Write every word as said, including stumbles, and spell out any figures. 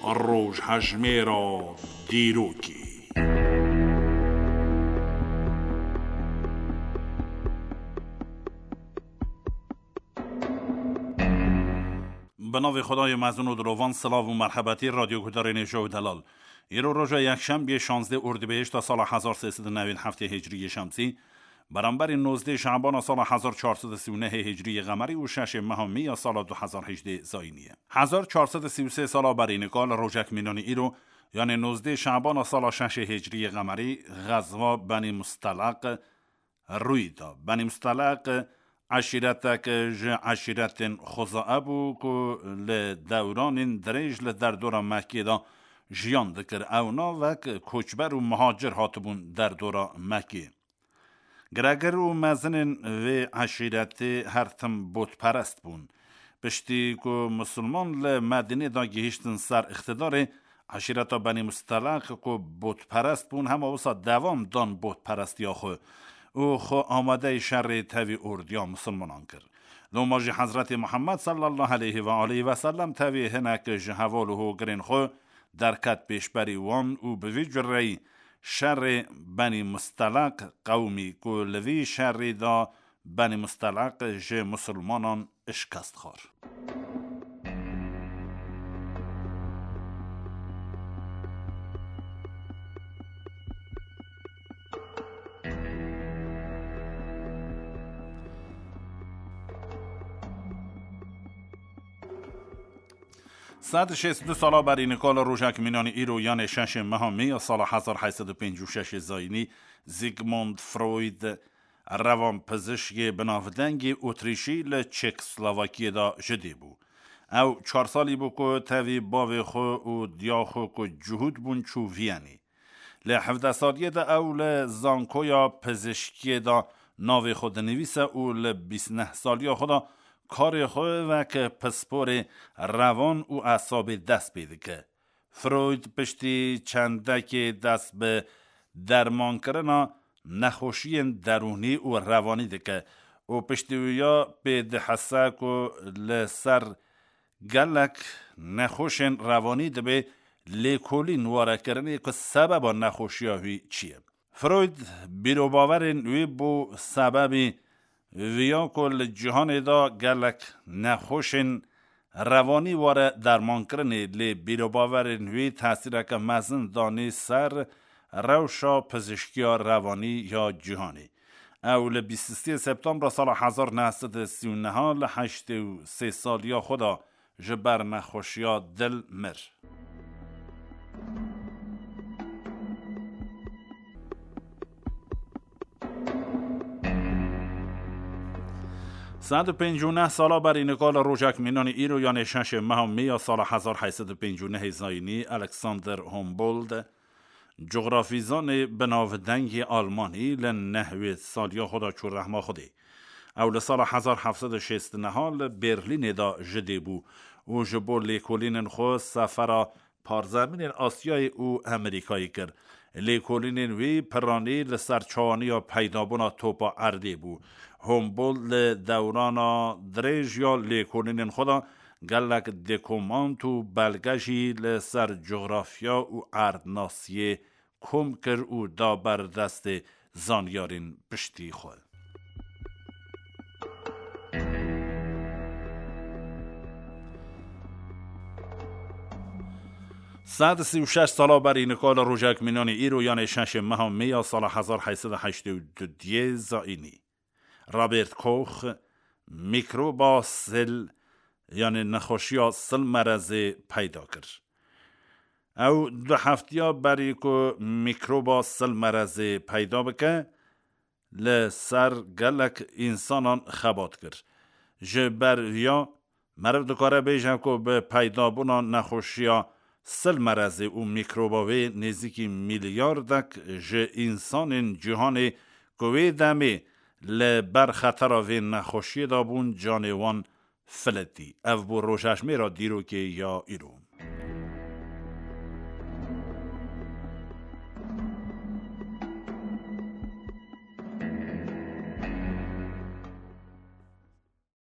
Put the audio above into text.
Rojhejmêra dîrokê. Bi navê Xwedayê mezin û dilovan, silav û merhebetî radyoguhdarên hêja û delal. Îro roja yekşembiyê şazdeh Ordibehişta sala hezar sê sed û newî heftê Hicriyê Şemsî, beramberî nozdeh Şebana sala hezar çar sed û sî û nehê Hicriyê Qemerî û şeşê meha Mê ya sala du hezar hejdeh Zayînî ye. Hezar çar sed û sî û sê sala berî nika li rojek mînanî îro, yanê nozdeh Şebana sala şeşê Hicriyê Qemerî, xezwa Benî Musteleq rûyî da. Benî Musteleq eşîretek ji eşîretên Xuzae bû ku li dewranên dirêj li derdora Mekkê de jiyan dikir. Ewna wek koçber û muhacir hatibûn derdora Mekkê. Giregir û mezinên vê eşîretê her tim botperest bûn. Piştî ku misilman li Medînê de gihîştin ser îqtidarê, eşîreta Benî Musteleq ku botperest bûn, hema wisa devam dan botperestiya xwe û xwe amadeyî şerê tevî ordiya misilmanan kir. Loma jî Hezretê Muhammed sallallahu aleyhi ve aleyhi ve sellem tevî hinek ji heval û hogirên xwe derket pêşberî wan û bi vî cureyî şerê Benî Musteleq qewimî ku li vî şerî de Benî Musteleq ji misilmanan şikest xwar. Sed şêst û du sala berî nika li rojek mînanî îro, yanê şeşê meha Mê ya sala hezar heyt sed û pêncî û şeşê Zayînî, Sigmund Freud, rewanpizişkê binavdengê Otrîşî, li Çekoslovakiyê de ji dê bû. Ew çar salî bû ku tevî bavê xwe û diya xwe ku cihûd bûn çû Viyanê. Li hevdeh saliyê de ew li zankoya pizişkiyê de navê xwe dinivîse û li bîst neh saliya xwe de karê xwe wek pisporê rewan û esabê dest pê dike. Freud piştî çendekê dest bi dermankirina nexweşiyên derûnî û rewanî dike û piştî wî ya pê dihese ku li ser gelek nexweşên rewanî dibe lêkolîn ware kirinê ku sebeba nexweşiya wî çi ye. Freud bîrobawerên wî bû sebebî viya ku li cîhanê de gelek nexweşên rewanî were dermankirinê, lê bîrobawerên wî tesîreke mezin danî ser rewşa pizişkiya rewanî ya cîhanê. Ew li bîst û sê Septembra sala hezar neh sed û sî û neh li heştê û sê saliya xwe de ji ber nexweşiya dil mir. Sed û pêncî û neh sala berî nika li rojek mînanî îro, yanê şeşê meha Mê ya sala hezar heyt sed û pêncî û nehê Zayînî, Alexander Humboldt, cografîzanê binavdengê Almanî, li nehwêd saliya xwe de çû rehma Xwedê. Ew li sala hezar heft sed û şêst û neh li Berlînê de ji dê bû û ji bo lêkolînên xwe sefera parzemînên Asyayê û Amerîkayê kir. Lêkolînên wî piranî li ser çawaniya peydabûna topa erdê bû. Humboldt li dewrana dirêj ya lêkolînên xwe de gelek dokumant û belge jî li ser cografya û erdnasiyê kom kir û da ber destê zanyarên piştî xwe. Sed û sî û şeş sala berî nika li rojek mînanî îro, yanê şeşê meha Mê ya sala hezar heyt sed û heştê û du diyê Zayînî, Robert Koch mîkroba sil, yanê nexweşiya silmerezê peyda kir. Ew du heftiya berî ku mîkroba silmerezê peyda bike, li ser gelek însanan xebat kir. Ji ber viya, meriv dikare bêje ku bi peydabûna nexweşiya silmerezê û mîkroba wê nêzîkî mîlyardek ji însanên cîhanê ku wê demê li ber xetera vê nexweşiyê de bûn, canê wan filetî. Ev bû rojejmêra dîrokê ya îro.